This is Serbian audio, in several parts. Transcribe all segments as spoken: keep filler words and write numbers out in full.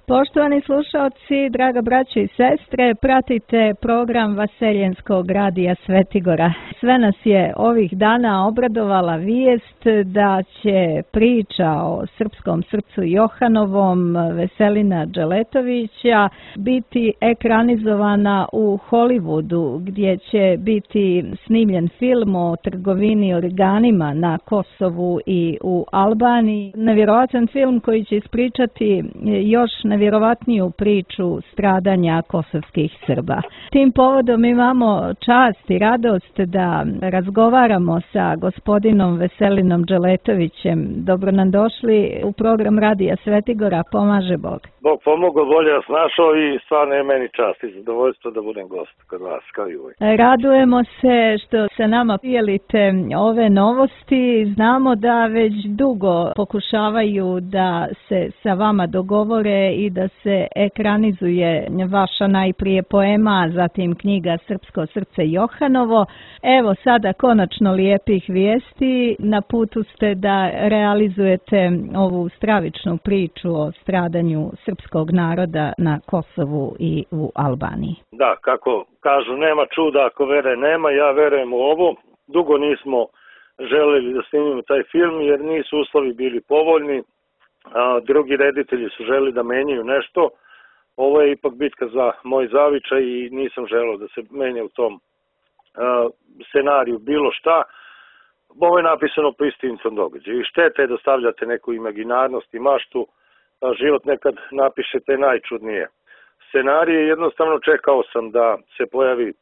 Poštovani slušalci, draga braćo i sestre, pratite program Vaseljenskog radija Svetigora. Sve nas je ovih dana obradovala vijest da će priča o srpskom srcu Johanovom Veselina Dželetovića biti ekranizovana u Hollywoodu, gdje će biti snimljen film o trgovini organima na Kosovu i u Albaniji. Nevjerovatan film koji će ispričati još nevjerovatniju priču stradanja kosovskih Srba. Tim povodom imamo čast i radost da razgovaramo sa gospodinom Veselinom Dželetovićem. Dobro nam došli u program Radija Svetigora. Pomaže Bog. Bog pomogao, bolje vas našao i stvarno je meni čast i zadovoljstvo da budem gost kod vas, kao i uvijek. Radujemo se što se nama dijelite ove novosti. Znamo da već dugo pokušavaju da se sa vama dogovore i da se ekranizuje vaša najprije poema, zatim knjiga Srpsko srce Johanovo. Evo sada konačno lijepih vijesti. Na putu ste da realizujete ovu stravičnu priču o stradanju srpskog naroda na Kosovu i u Albaniji. Da, kako kažu, nema čuda ako vere nema, ja verujem u ovo. Dugo nismo želeli da snimimo taj film jer nisu uslovi bili povoljni. A, drugi reditelji su želi da menjaju nešto. Ovo je ipak bitka za moj zavičaj i nisam želeo da se menja u tom a, scenariju bilo šta. Ovo je napisano po istinitom događaju i štete je da stavljate neku imaginarnost i maštu. A, život nekad napišete najčudnije scenarije. Jednostavno čekao sam da se pojavi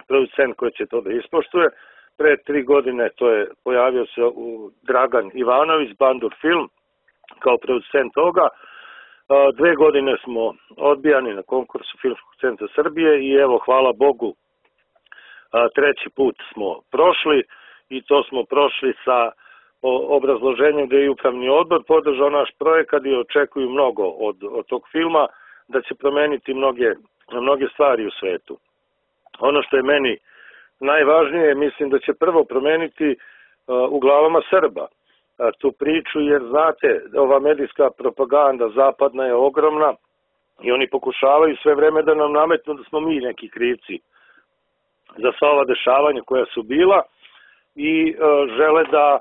producent koji će to da ispoštuje. Pre tri godine to je pojavio se u Dragan Ivanović, Bandur film, kao producent toga. Dve godine smo odbijani na konkursu Filmskog centra Srbije i evo, hvala Bogu, treći put smo prošli i to smo prošli sa obrazloženjem da je upravni odbor podržao naš projekat i očekuju mnogo od, od tog filma, da će promeniti mnoge, mnoge stvari u svetu. Ono što je meni najvažnije, mislim da će prvo promeniti u glavama Srba tu priču, jer znate, ova medijska propaganda zapadna je ogromna i oni pokušavaju sve vreme da nam nametnu da smo mi neki krivci za sva ova dešavanja koja su bila i e, žele da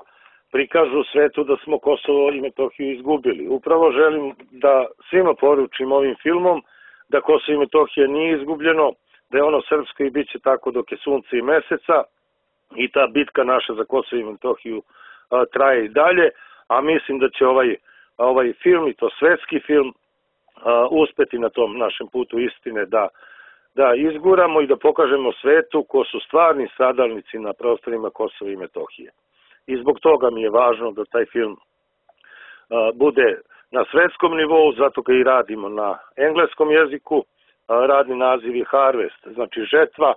prikažu svetu da smo Kosovo i Metohiju izgubili. Upravo želim da svima poručim ovim filmom da Kosovo i Metohija nije izgubljeno, da je ono srpsko i bit će tako dok je sunce i meseca i ta bitka naša za Kosovo i Metohiju a, traje i dalje, a mislim da će ovaj, ovaj film, i to svetski film, a, uspeti na tom našem putu istine da, da izguramo i da pokažemo svetu ko su stvarni stradalnici na prostorima Kosova i Metohije. I zbog toga mi je važno da taj film a, bude na svetskom nivou, zato ga i radimo na engleskom jeziku. A, radni naziv je Harvest, znači žetva.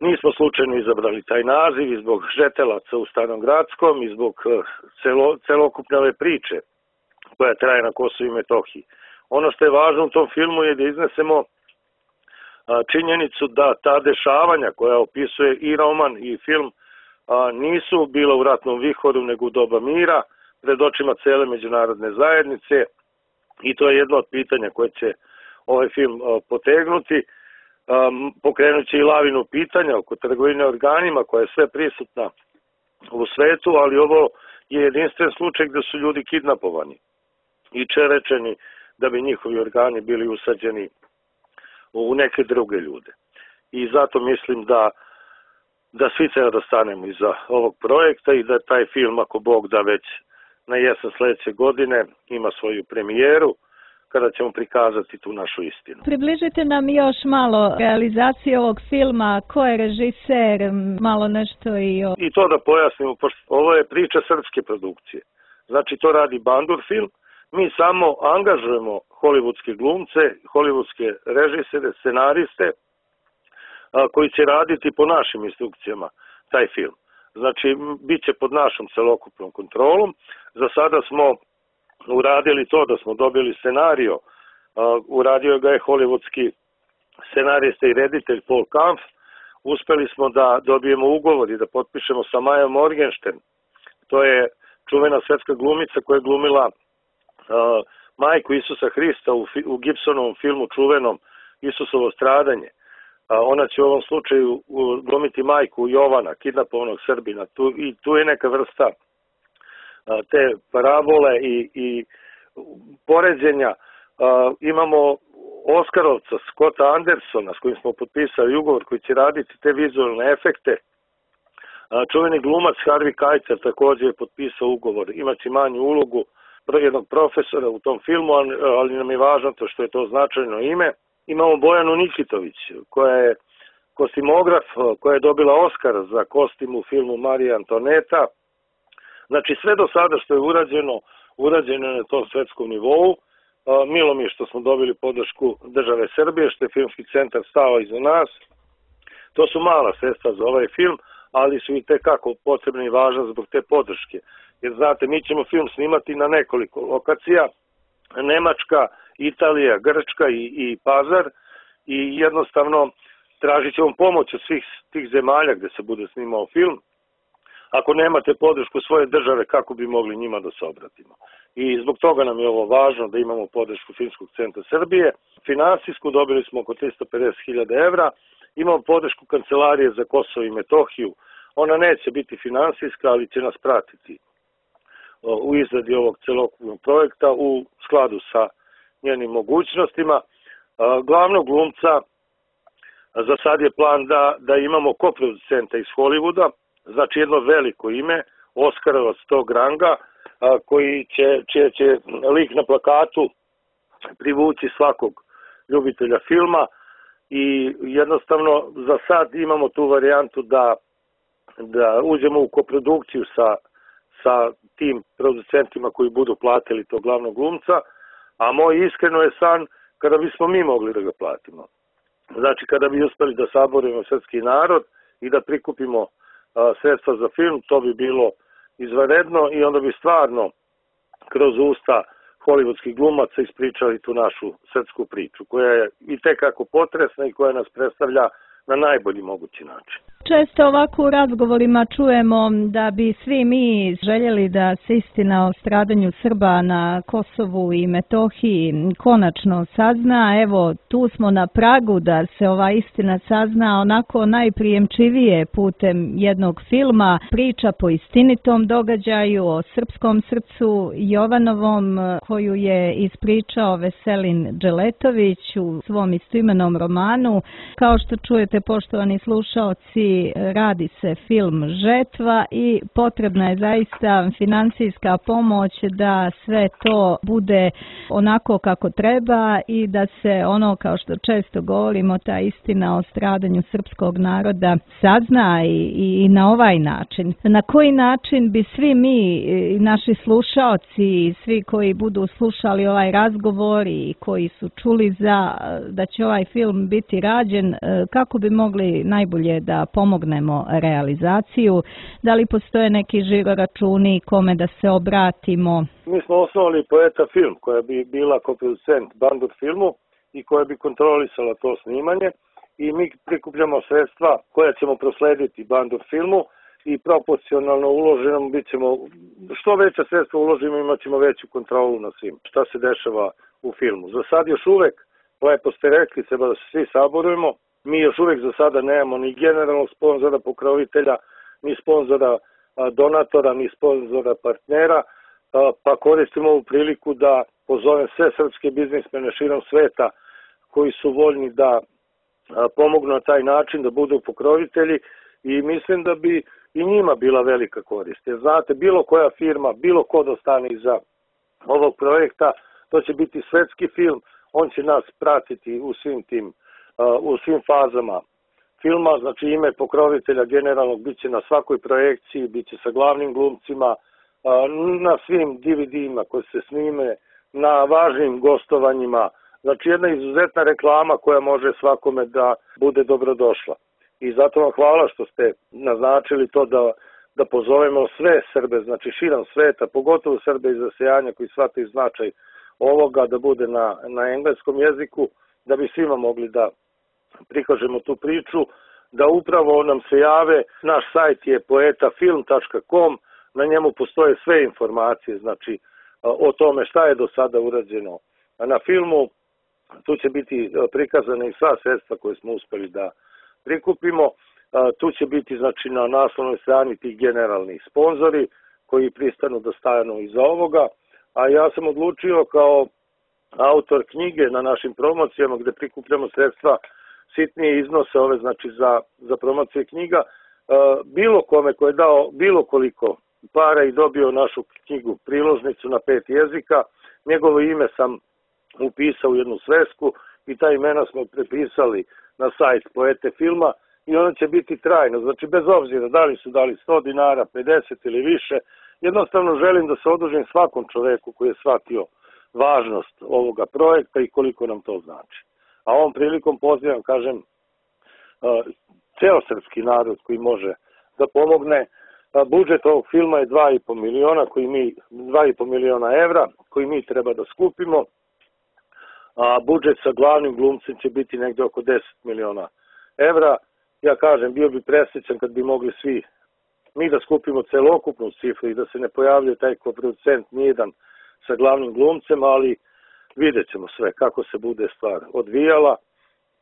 Nismo slučajno izabrali taj naziv i zbog žetelaca u Starom Gradskom i zbog celo, celokupne ove priče koja traje na Kosovu i Metohiji. Ono što je važno u tom filmu je da iznesemo a, činjenicu da ta dešavanja koja opisuje i roman i film a, nisu bila u ratnom vihoru nego u doba mira pred očima cele međunarodne zajednice i to je jedno od pitanja koje će ovaj film a, potegnuti. Um, pokrenut će i lavinu pitanja oko trgovine organima koja je sve prisutna u svetu, ali ovo je jedinstven slučaj gde su ljudi kidnapovani i čerečeni da bi njihovi organi bili usađeni u neke druge ljude. I zato mislim da, da svi treba da stanemo iza ovog projekta i da taj film, ako Bog da, već na jesen sledeće godine ima svoju premijeru, kada ćemo prikazati tu našu istinu. Približite nam još malo realizacije ovog filma, ko je režiser, malo nešto i o... I to da pojasnimo, pošto ovo je priča srpske produkcije. Znači to radi Bandur film, mi samo angažujemo hollywoodske glumce, hollywoodske režisere, scenariste, a, koji će raditi po našim instrukcijama taj film. Znači, bit će pod našom celokupnom kontrolom. Za sada smo uradili to da smo dobili scenario, uh, uradio ga je hollywoodski scenarista i reditelj Paul Kampf. Uspeli smo da dobijemo ugovor i da potpišemo sa Majom Morgenstern. To je čuvena svetska glumica koja je glumila uh, majku Isusa Hrista u, u Gibsonovom filmu čuvenom Isusovo stradanje. Ona će u ovom slučaju glumiti majku Jovana, kidnapovanog Srbina. Tu, i tu je neka vrsta te parabole i, i poređenja. Imamo Oskarovca, Scotta Andersona, s kojim smo potpisali ugovor, koji će raditi te vizualne efekte. Čuveni glumac Harvey Keitel također je potpisao ugovor, imaće manju ulogu jednog profesora u tom filmu, ali nam je važno to što je to značajno ime. Imamo Bojanu Nikitović, koja je kostimograf, koja je dobila Oskar za kostim u filmu Marija Antoneta. Znači sve do sada što je urađeno, urađeno je na tom svetskom nivou. Milo mi je što smo dobili podršku države Srbije, što je Filmski centar stao iza nas. To su mala sredstva za ovaj film, ali su i tekako potrebni i važni zbog te podrške. Jer znate, mi ćemo film snimati na nekoliko lokacija, Nemačka, Italija, Grčka i, i Pazar, i jednostavno tražit ćemo pomoć od svih tih zemalja gde se bude snimao film. Ako nemate podršku svoje države, kako bi mogli njima da se obratimo? I zbog toga nam je ovo važno da imamo podršku Filmskog centra Srbije. Finansijsku dobili smo oko tristo pedeset hiljada evra, imamo podršku Kancelarije za Kosovo i Metohiju. Ona neće biti finansijska, ali će nas pratiti u izradi ovog celokupnog projekta u skladu sa njenim mogućnostima. Glavnog glumca za sad je plan da, da imamo koproducenta iz Hollywooda, znači jedno veliko ime, Oskarovac tog ranga, koji će, će, će lik na plakatu privući svakog ljubitelja filma, i jednostavno za sad imamo tu varijantu da, da uđemo u koprodukciju sa, sa tim producentima koji budu platili tog glavnog glumca, a moj iskreno je san kada bismo mi mogli da ga platimo. Znači kada bi uspeli da saborimo srpski narod i da prikupimo a, sredstva za film, to bi bilo izvanredno i onda bi stvarno kroz usta hollywoodskih glumaca ispričali tu našu srpsku priču, koja je i tekako potresna i koja nas predstavlja na najbolji mogući način. Često ovako u razgovorima čujemo da bi svi mi željeli da se istina o stradanju Srba na Kosovu i Metohiji konačno sazna. Evo, tu smo na pragu da se ova istina sazna onako najprijemčivije putem jednog filma, priča po istinitom događaju o srpskom srcu Jovanovom, koju je ispričao Veselin Dželetović u svom istoimenom romanu. Kao što čujete, poštovani slušaoci, radi se film Žetva i potrebna je zaista financijska pomoć da sve to bude onako kako treba i da se ono, kao što često govorimo, ta istina o stradanju srpskog naroda sazna i, i na ovaj način. Na koji način bi svi mi, naši slušaoci i svi koji budu slušali ovaj razgovor i koji su čuli za da će ovaj film biti rađen, kako bi mogli najbolje da pomognemo realizaciju? Da li postoje neki žiroračuni kome da se obratimo? Mi smo osnovali Poeta film, koja bi bila koproducent Bandur filmu i koja bi kontrolisala to snimanje, i mi prikupljamo sredstva koja ćemo proslediti Bandur filmu i proporcionalno uloženom bit ćemo, što veća sredstva uložimo, imat ćemo veću kontrolu na svim šta se dešava u filmu. Za sad još uvek, lepo ste rekli, treba da se svi saborujemo. Mi još uvijek za sada nemamo ni generalnog sponzora, pokrovitelja, ni sponzora donatora, ni sponzora partnera, pa koristimo ovu priliku da pozovem sve srpske biznismene širom sveta koji su voljni da pomognu na taj način, da budu pokrovitelji, i mislim da bi i njima bila velika korist. Jer znate, bilo koja firma, bilo ko da stane iza ovog projekta, to će biti svetski film, on će nas pratiti u svim tim u svim fazama filma, znači ime pokrovitelja generalnog bit će na svakoj projekciji, bit će sa glavnim glumcima, na svim D V D-ima koji se snime, na važnim gostovanjima, znači jedna izuzetna reklama koja može svakome da bude dobrodošla. I zato vam hvala što ste naznačili to da, da pozovemo sve Srbe, znači širom sveta, pogotovo Srbe iz rasejanja koji shvataju značaj ovoga, da bude na, na engleskom jeziku, da bi svima mogli da prikažemo tu priču, da upravo nam se jave. Naš sajt je poeta film tačka com, na njemu postoje sve informacije, znači o tome šta je do sada urađeno na filmu. Tu će biti prikazane i sva sredstva koje smo uspeli da prikupimo. Tu će biti, znači, na naslovnoj strani tih generalnih sponzori koji pristanu da stanu iza ovoga, a ja sam odlučio kao autor knjige na našim promocijama gde prikupljamo sredstva, sitnije iznose ove, znači, za, za promocije knjiga, bilo kome ko je dao bilo koliko para i dobio našu knjigu priložnicu na pet jezika, njegovo ime sam upisao u jednu svesku i ta imena smo prepisali na sajt Poete filma i ona će biti trajno, znači bez obzira da li su dali sto dinara, pedeset ili više, jednostavno želim da se odužim svakom čoveku koji je shvatio važnost ovoga projekta i koliko nam to znači. A ovom prilikom pozivam, kažem, ceo srpski narod koji može da pomogne. Budžet ovog filma je dva i po miliona, koji mi, dva i po miliona evra, koji mi treba da skupimo, a budžet sa glavnim glumcem će biti negde oko deset miliona evra. Ja kažem, bio bi presrećan kad bi mogli svi mi da skupimo celokupnu cifru i da se ne pojavljuje taj koproducent nijedan sa glavnim glumcem, ali vidjet ćemo sve kako se bude stvar odvijala.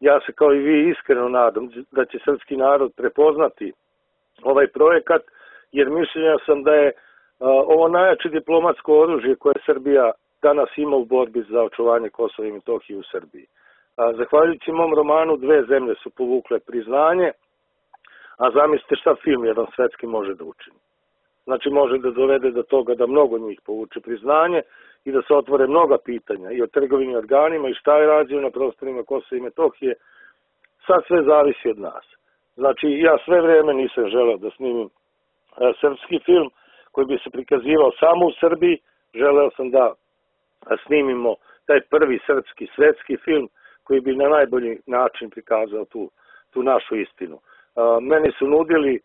Ja se kao i vi iskreno nadam da će srpski narod prepoznati ovaj projekat, jer mišljenja sam da je ovo najjače diplomatsko oružje koje Srbija danas ima u borbi za očuvanje Kosova i Metohije u Srbiji. Zahvaljujući mom romanu dve zemlje su povukle priznanje, a zamislite šta film jedan svetski može da učini. Znači može da dovede do toga da mnogo njih povuče priznanje i da se otvore mnoga pitanja i o trgovini organima i šta je rađeno na prostorima Kosova i Metohije. Sad sve zavisi od nas. Znači ja sve vreme nisam želeo da snimim srpski film koji bi se prikazivao samo u Srbiji, želeo sam da snimimo taj prvi srpski svetski film koji bi na najbolji način prikazao tu, tu našu istinu. Meni su nudili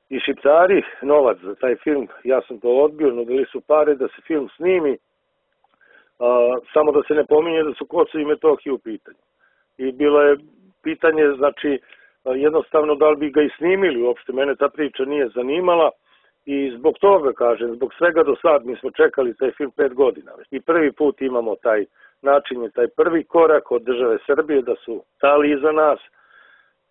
i Šiptari novac za taj film, ja sam to odbio, nudili su pare da se film snimi, samo da se ne pominje da su Kosovo i Metohija u pitanju. I bilo je pitanje, znači, jednostavno da li bi ga i snimili, uopšte mene ta priča nije zanimala i zbog toga, kažem, zbog svega do sad mi smo čekali taj film pet godina. I prvi put imamo taj način, taj prvi korak od države Srbije da su stali iza nas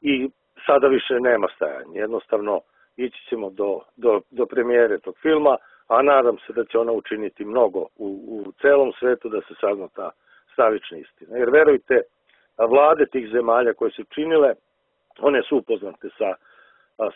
i sada više nema stajanja. Jednostavno ići ćemo do, do, do premijere tog filma, a nadam se da će ona učiniti mnogo u, u celom svetu da se sazna ta stravična istina. Jer verujte, vlade tih zemalja koje su činile, one su upoznate sa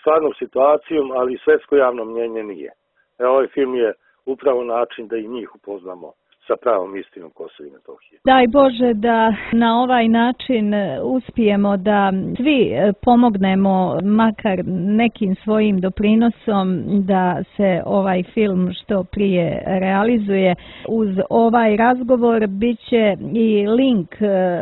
stvarnom situacijom, ali svetsko javno mnjenje nije. E, ovaj film je upravo način da i njih upoznamo sa pravom istinom Kosova i Metohije. Daj Bože da na ovaj način uspijemo da svi pomognemo makar nekim svojim doprinosom da se ovaj film što prije realizuje. Uz ovaj razgovor bit će i link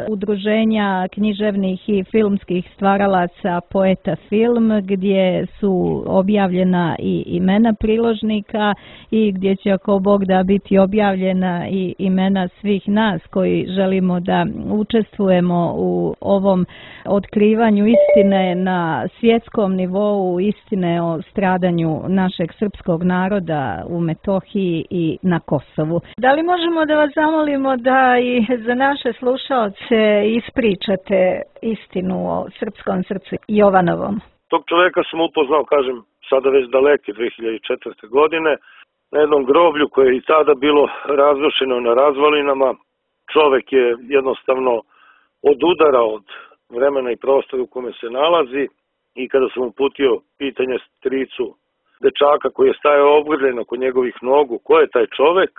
udruženja književnih i filmskih stvaralaca Poeta film, gdje su objavljena i imena priložnika i gdje će, ako Bog da, biti objavljena i imena svih nas koji želimo da učestvujemo u ovom otkrivanju istine na svjetskom nivou, istine o stradanju našeg srpskog naroda u Metohiji i na Kosovu. Da li možemo da vas zamolimo da i za naše slušaoce ispričate istinu o srpskom srcu Jovanovom? Tog čoveka sam upoznao, kažem, sada već daleke dve hiljade četvrte. godine, na jednom groblju koje je i tada bilo razrušeno na razvalinama. Čovek je jednostavno odudarao od vremena i prostora u kome se nalazi i kada sam uputio pitanje stricu dečaka koji je stajao obgrljen oko njegovih nogu, ko je taj čovek,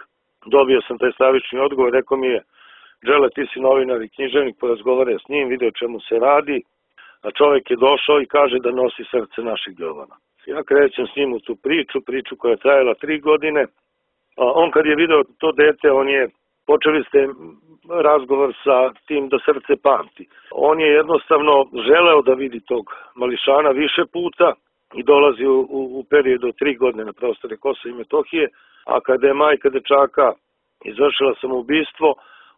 dobio sam taj stravični odgovor, rekao mi je: Đele, ti si novinar i književnik, porazgovaraj s njim, vidio čemu se radi, a čovek je došao i kaže da nosi srce našeg Jovana. Ja krećem s njim u tu priču, priču koja je trajala tri godine. A on kad je video to dete, on je, počeli ste razgovor sa tim da srce pamti. On je jednostavno želeo da vidi tog mališana više puta i dolazi u, u, u periodu od tri godine na prostore Kosova i Metohije, a kada je majka dečaka izvršila samoubistvo,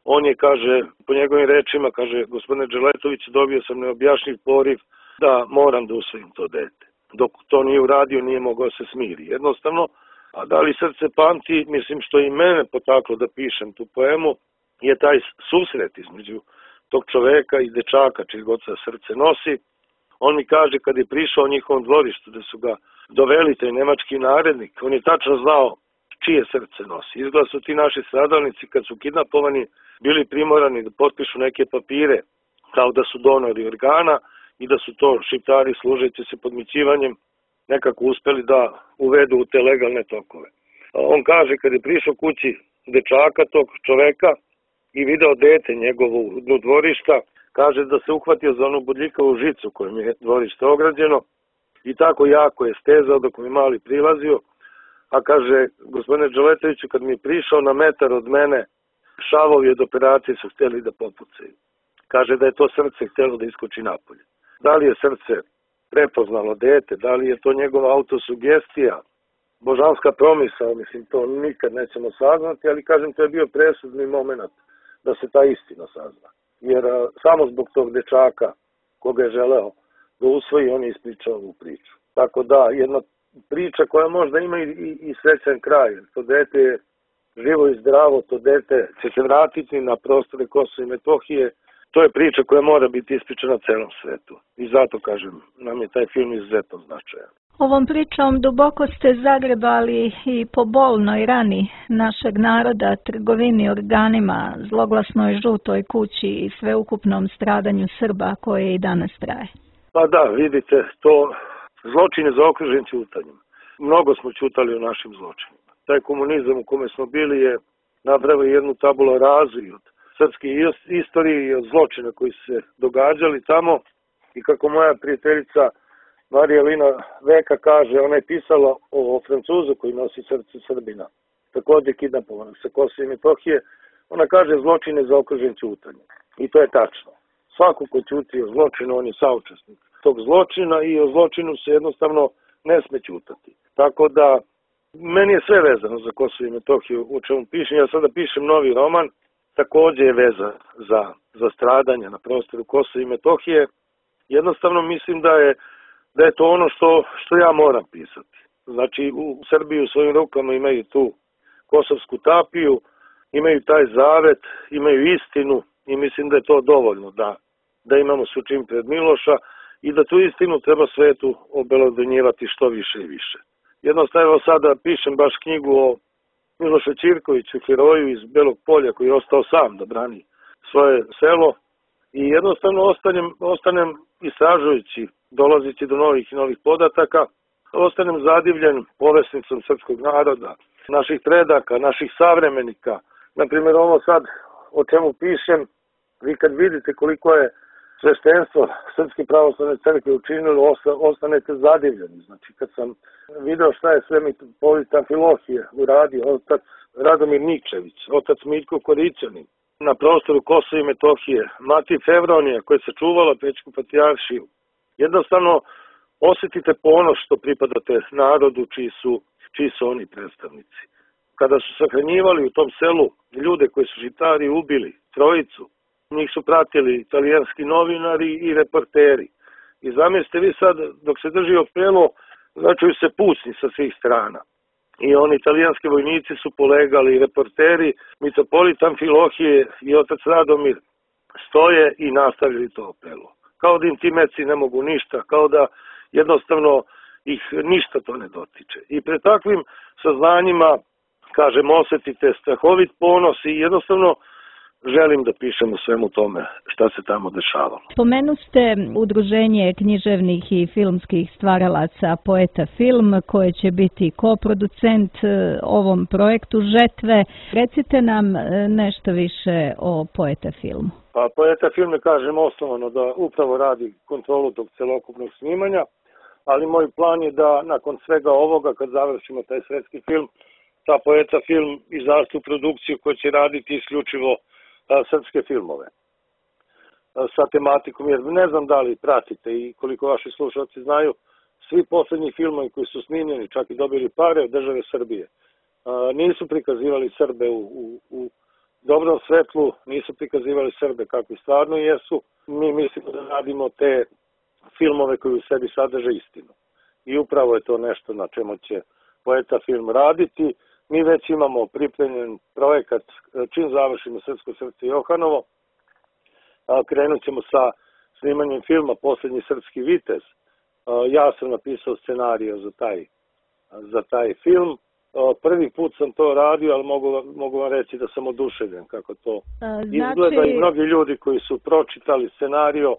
on je, kaže, po njegovim rečima, kaže: gospodine Đeletović, dobio sam neobjašnjiv poriv da moram da usvojim to dete. Dok to nije uradio, nije mogao se smiri. Jednostavno, A da li srce pamti, mislim što i mene potaklo da pišem tu poemu, je taj susret između tog čoveka i dečaka čiji god se srce nosi. On mi kaže kad je prišao u njihovom dvorištu da su ga doveli taj nemački narednik, on je tačno znao čije srce nosi. Izgleda su ti naši stradalnici kad su kidnapovani bili primorani da potpišu neke papire kao da su donori organa i da su to Šiptari služeći se podmićivanjem nekako uspeli da uvedu u te legalne tokove. On kaže kad je prišao kući dečaka tog čoveka i video dete njegovo u dvorišta, kaže da se uhvatio za onu bodljikavu žicu kojom je dvorište ograđeno i tako jako je stezao dok mi mali prilazio, a kaže, gospodine Đeletoviću, kad mi je prišao na metar od mene, šavovi od operacije su htjeli da popucaju. Kaže da je to srce htjelo da iskoči napolje. Da li je srce prepoznalo dete, da li je to njegova autosugestija, božanska promisao, mislim, to nikad nećemo saznati, ali kažem, to je bio presudni moment da se ta istina sazna. Jer a, samo zbog tog dečaka koga je želeo da usvoji, on je ispričao ovu priču. Tako da, jedna priča koja možda ima i, i, i srećan kraj. To dete je živo i zdravo, to dete će se vratiti na prostore Kosova i Metohije. To je priča koja mora biti ispričana celom svetu. I zato, kažem, nam je taj film izuzetno značajan. Ovom pričom duboko ste zagrebali i po bolnoj rani našeg naroda, trgovini organima, zloglasnoj žutoj kući i sveukupnom stradanju Srba koje i danas traje. Pa da, vidite, to zločin je zaokružen ćutanjem. Mnogo smo ćutali o našim zločinima. Taj komunizam u kome smo bili je napravio jednu tabula razu od srpske istorije i od zločina koji su se događali tamo. I kako moja prijateljica Marija Lina Veka kaže, ona je pisala o Francuzu koji nosi srce Srbina, također kidnapovanog sa Kosova i Metohije. Ona kaže zločin je zaokružen ćutanjem. I to je tačno. Svako ko ćuti o zločinu, on je saučesnik tog zločina i o zločinu se jednostavno ne sme ćutati. Tako da, meni je sve vezano za Kosovo i Metohiju u čemu pišem. Ja sada pišem novi roman, također je veza za, za stradanje na prostoru Kosova i Metohije. Jednostavno mislim da je, da je to ono što, što ja moram pisati. Znači, u Srbiji u svojim rukama imaju tu kosovsku tapiju, imaju taj zavet, imaju istinu i mislim da je to dovoljno da, da imamo sučin pred Miloša i da tu istinu treba svetu obelodonjivati što više i više. Jednostavno sada pišem baš knjigu o Milošu Ćirkoviću, heroju iz Belog Polja koji je ostao sam da brani svoje selo i jednostavno ostanem, ostanem istražujući, dolazići do novih i novih podataka, ostanem zadivljen povesnicom srpskog naroda, naših predaka, naših savremenika. Naprimjer, ovo sad o čemu pišem, vi kad vidite koliko je sveštenstvo Srpske pravoslavne crkve učinilo, ostanete zadivljeni. Znači, kad sam video šta je sve mitropolit Amfilohije uradio, otac Radomir Nikčević, otac Miljko Korićanin, na prostoru Kosova i Metohije, mati Fevronija koja se čuvala Pećku patrijaršiju. Jednostavno, osjetite ponos što pripadate narodu čiji su, čiji su oni predstavnici. Kada su sahranjivali u tom selu ljude koji su Šiptari ubili, trojicu, njih su pratili italijanski novinari i reporteri. I zamislite vi sad, dok se drži opelo, začuju se pucnji sa svih strana. I oni italijanski vojnici su polegali, i reporteri, mitropolit Amfilohije i otac Radomir stoje i nastavili to opelo. Kao da im ti meci ne mogu ništa, kao da jednostavno ih ništa to ne dotiče. I pred takvim saznanjima, kažem, osjetite strahovit ponos i jednostavno želim da pišem o svemu tome šta se tamo dešavalo. Spomenu ste udruženje književnih i filmskih stvaralaca Poeta Film, koje će biti koproducent ovom projektu Žetve. Recite nam nešto više o Poeta Filmu. Pa Poeta Film je, kažem, osnovano da upravo radi kontrolu tog celokupnog snimanja, ali moj plan je da nakon svega ovoga, kad završimo taj svetski film, ta Poeta Film izađe u produkciju koja će raditi isključivo srpske filmove sa tematikom, jer ne znam da li pratite i koliko vaši slušalci znaju, svi poslednji filmovi koji su snimljeni, čak i dobili pare od države Srbije, nisu prikazivali Srbe u, u, u dobrom svetlu, nisu prikazivali Srbe kakvi stvarno jesu. Mi mislimo da radimo te filmove koji u sebi sadrže istinu. I upravo je to nešto na čemu će poeta film raditi. Mi već imamo pripremljen projekat, čim završimo Srpsko srce Johanovo, krenut ćemo sa snimanjem filma Poslednji srpski vitez. Ja sam napisao scenariju za taj, za taj film. Prvi put sam to radio, ali mogu, mogu vam reći da sam oduševljen kako to znači... izgleda, i mnogi ljudi koji su pročitali scenariju,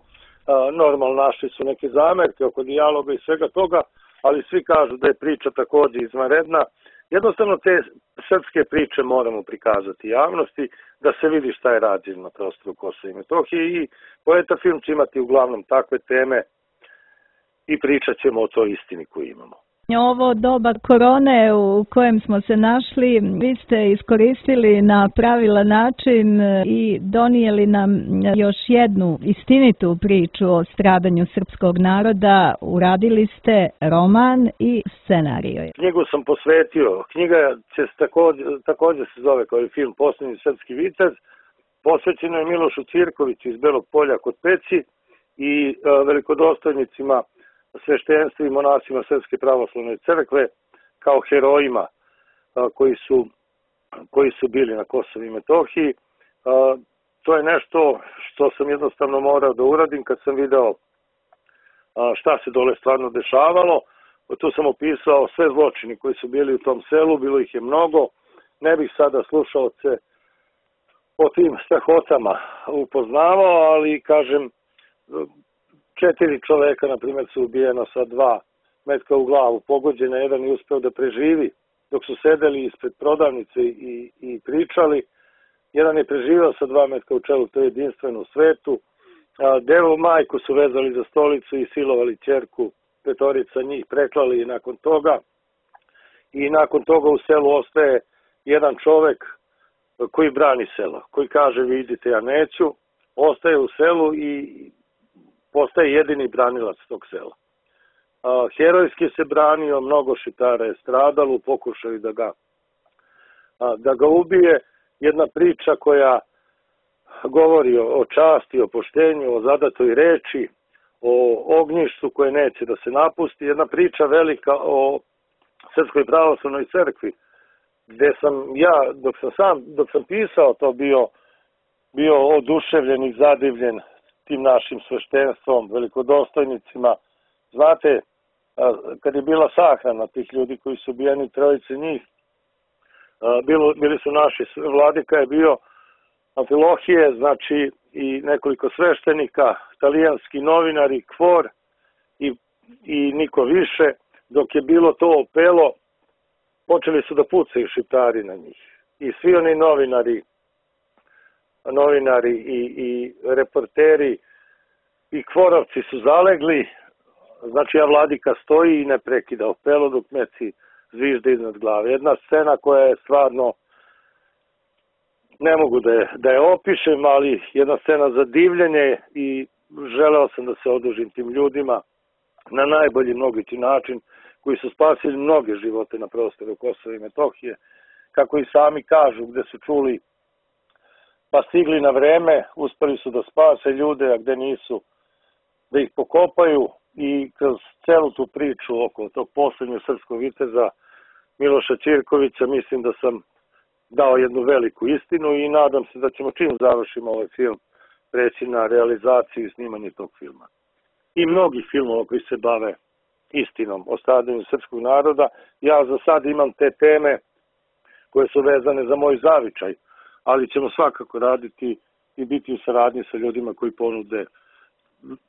normalno našli su neke zamerke oko dijaloga i svega toga, ali svi kažu da je priča takođe izvanredna. Jednostavno te srpske priče moramo prikazati javnosti, da se vidi šta je rađeno na prostoru Kosova i Metohije, i poeta film će imati uglavnom takve teme i pričat ćemo o toj istini koju imamo. Ovo doba korone u kojem smo se našli, vi ste iskoristili na pravilan način i donijeli nam još jednu istinitu priču o stradanju srpskog naroda. Uradili ste roman i scenariju. Knjigu sam posvetio. Knjiga će takođe, takođe se zove kao i film Poslednji srpski vitez. Posvećeno je Milošu Ćirkoviću iz Belog Polja kod Peći i velikodostojnicima, sveštenstvu i monasima Srpske pravoslavne crkve kao herojima koji su, koji su bili na Kosovu i Metohiji. To je nešto što sam jednostavno morao da uradim kad sam video šta se dole stvarno dešavalo. Tu sam opisao sve zločini koji su bili u tom selu, bilo ih je mnogo. Ne bih sada slušaoce o tim strahotama upoznavao, ali kažem, četiri čoveka, na primjer, su ubijena sa dva metka u glavu, pogođena, jedan je uspeo da preživi dok su sedeli ispred prodavnice i, i pričali. Jedan je preživao sa dva metka u čelu, to je jedinstveno u svetu. Devu majku su vezali za stolicu i silovali ćerku, petorica njih preklali i nakon toga. I nakon toga u selu ostaje jedan čovek koji brani selo, koji kaže vi idite, ja neću, ostaje u selu i postaje jedini branilac tog sela. Herojski se branio, mnogo šiptara je stradalo u pokušaju da ga, da ga ubije. Jedna priča koja govori o časti, o poštenju, o zadatoj reči, o ognjištu koje neće da se napusti. Jedna priča velika o Srpskoj pravoslavnoj crkvi, gde sam ja, dok sam sam, dok sam pisao to, bio, bio oduševljen i zadivljen tim našim sveštenstvom, velikodostojnicima. Znate, kad je bila sahrana tih ljudi koji su ubijeni, trojice njih, bilo, bili su naši, vladika je bio Amfilohije, znači i nekoliko sveštenika, talijanski novinari, Kvor i, i niko više. Dok je bilo to opelo, počeli su da pucaju šiptari na njih. I svi oni novinari, novinari i, i reporteri i Kvorovci su zalegli. Znači, a vladika stoji i ne prekida opelo dok meci zvižde iznad glave. Jedna scena koja je stvarno, ne mogu da je, da je opišem, ali jedna scena za divljenje i želeo sam da se odužim tim ljudima na najbolji mogući način, koji su spasili mnoge živote na prostoru Kosova i Metohije, kako i sami kažu, gde su čuli pa stigli na vreme, uspeli su da spase ljude, a gde nisu, da ih pokopaju. I kroz celu tu priču oko tog poslednjeg srpskog viteza Miloša Ćirkovića mislim da sam dao jednu veliku istinu i nadam se da ćemo čim završimo ovaj film preći na realizaciju i snimanje tog filma. I mnogi filmova koji se bave istinom o stradanju srpskog naroda. Ja za sad imam te teme koje su vezane za moj zavičaj, ali ćemo svakako raditi i biti u saradnji sa ljudima koji ponude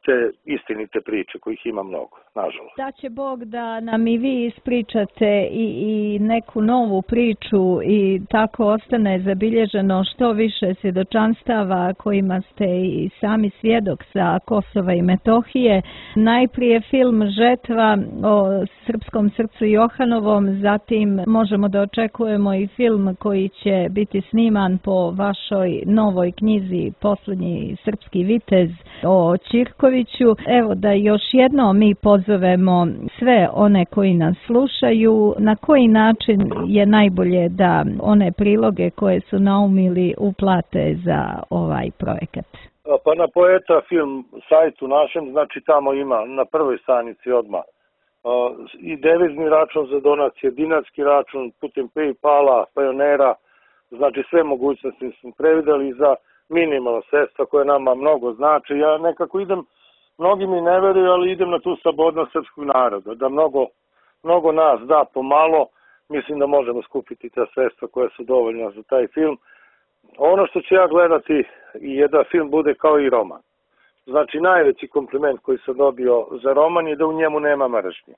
te istinite priče, kojih ima mnogo, nažalost. Da će Bog da nam i vi ispričate i, i neku novu priču i tako ostane zabilježeno što više svjedočanstava kojima ste i sami svjedok sa Kosova i Metohije. Najprije film Žetva o srpskom srcu Johanovom, zatim možemo da očekujemo i film koji će biti sniman po vašoj novoj knjizi Poslednji srpski vitez o Ćirkoviću. Evo da još jednom mi pozovemo sve one koji nas slušaju, na koji način je najbolje da one priloge koje su naumili uplate za ovaj projekat. Pa na Poeta film sajtu našem, znači tamo ima na prvoj stranici odmah i devizni račun za donacije, dinarski račun putem PayPala, Pajonera, znači sve mogućnosti smo prevideli za minimalna sredstva koje nama mnogo znači. Ja nekako idem, mnogi mi ne veruju, ali idem na tu slobodnost srpskog naroda, da mnogo, mnogo nas da pomalo, mislim da možemo skupiti ta sredstva koja su dovoljna za taj film. Ono što ću ja gledati je da film bude kao i roman. Znači, najveći kompliment koji sam dobio za roman je da u njemu nema mržnje.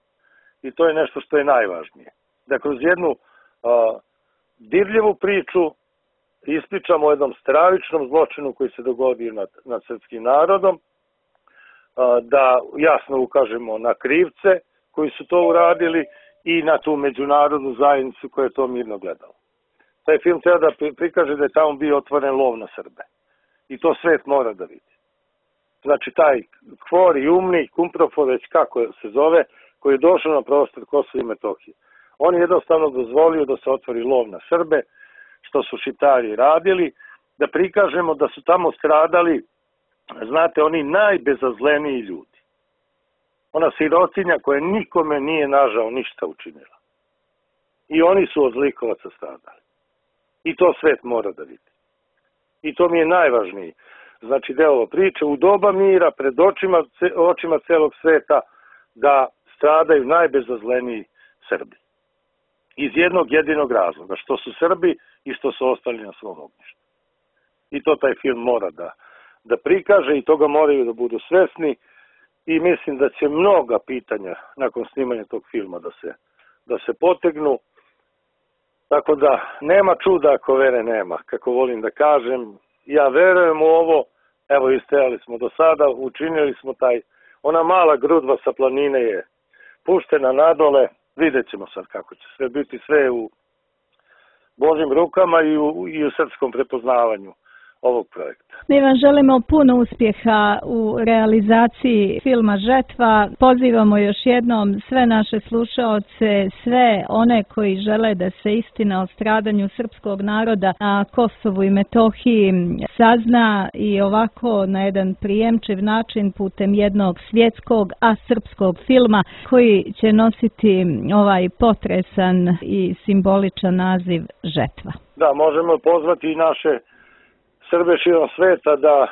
I to je nešto što je najvažnije. Da kroz jednu a, dirljivu priču ispričamo o jednom stravičnom zločinu koji se dogodio nad, nad srpskim narodom, a, da jasno ukažemo na krivce koji su to uradili i na tu međunarodnu zajednicu koja je to mirno gledala. Taj film treba da prikaže da je tamo bio otvoren lov na Srbe. I to svet mora da vidi. Znači, taj Hvor i Umni, Kumprofor, već kako se zove, koji je došao na prostor Kosova i Metohije. On je jednostavno dozvolio da se otvori lov na Srbe, što su Šiptari radili, da prikažemo da su tamo stradali, znate, oni najbezazleniji ljudi. Ona sirotinja koja nikome nije nažao ništa učinila. I oni su od zlikovaca stradali. I to svet mora da vidi. I to mi je najvažniji. Znači, deo priče u doba mira, pred očima, očima celog sveta, da stradaju najbezazleniji Srbi. Iz jednog jedinog razloga, što su Srbi i što su ostali na svom ognjištu. I to taj film mora da, da prikaže i toga moraju da budu svesni i mislim da će mnoga pitanja nakon snimanja tog filma da se, da se potegnu. Tako da nema čuda ako vere nema, kako volim da kažem. Ja verujem u ovo, evo istajali smo do sada, učinili smo taj, ona mala grudva sa planine je puštena nadole, vidjet ćemo sad kako će sve biti, sve u Božim rukama i u, i u srpskom prepoznavanju ovog projekta. Mi vam želimo puno uspjeha u realizaciji filma Žetva. Pozivamo još jednom sve naše slušaoce, sve one koji žele da se istina o stradanju srpskog naroda na Kosovu i Metohiji sazna i ovako na jedan prijemčiv način putem jednog svjetskog, a srpskog filma koji će nositi ovaj potresan i simboličan naziv Žetva. Da, možemo pozvati i naše Srbe širom sveta da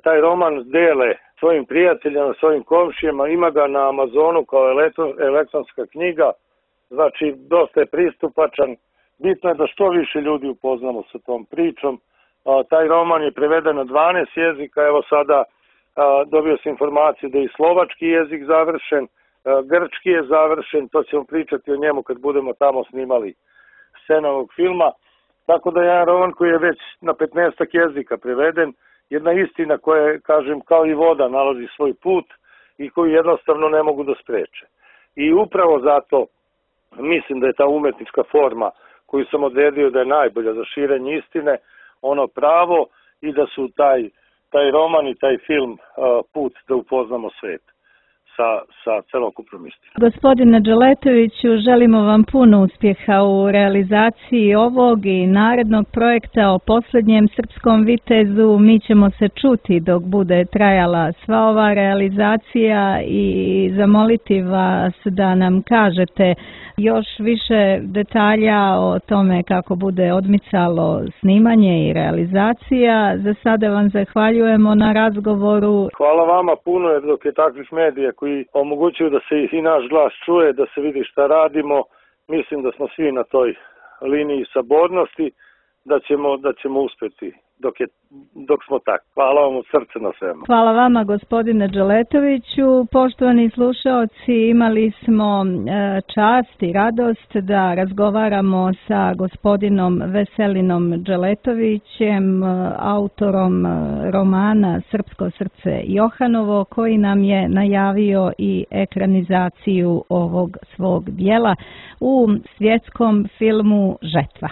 taj roman dele svojim prijateljima, svojim komšijama, ima ga na Amazonu kao elektronska knjiga, znači dosta je pristupačan, bitno je da što više ljudi upoznamo sa tom pričom. Taj roman je preveden na dvanaest jezika, evo sada dobio sam informaciju da je i slovački jezik završen, grčki je završen, to ćemo pričati o njemu kad budemo tamo snimali scene ovog filma. Tako da je jedan roman koji je već na petnaestak jezika preveden, jedna istina koja, kažem, kao i voda nalazi svoj put i koju jednostavno ne mogu da spreče. I upravo zato mislim da je ta umetnička forma koju sam odredio da je najbolja za širenje istine, ono pravo i da su taj, taj roman i taj film put da upoznamo svet sa, sa celokupnom istinom. Gospodine Dželetoviću, želimo vam puno uspjeha u realizaciji ovog i narednog projekta o posljednjem srpskom vitezu. Mi ćemo se čuti dok bude trajala sva ova realizacija i zamoliti vas da nam kažete još više detalja o tome kako bude odmicalo snimanje i realizacija. Za sada vam zahvaljujemo na razgovoru. Hvala vama puno, jer dok je takvih medija koji omogućuju da se i naš glas čuje, da se vidi šta radimo, mislim da smo svi na toj liniji sabornosti, da ćemo, da ćemo uspjeti dok, je, dok smo tak. Hvala vam od srca na svemu. Hvala vama, gospodine Dželetoviću. Poštovani slušaoci, imali smo čast i radost da razgovaramo sa gospodinom Veselinom Dželetovićem, autorom romana Srpsko srce Johanovo, koji nam je najavio i ekranizaciju ovog svog dijela u svjetskom filmu Žetva.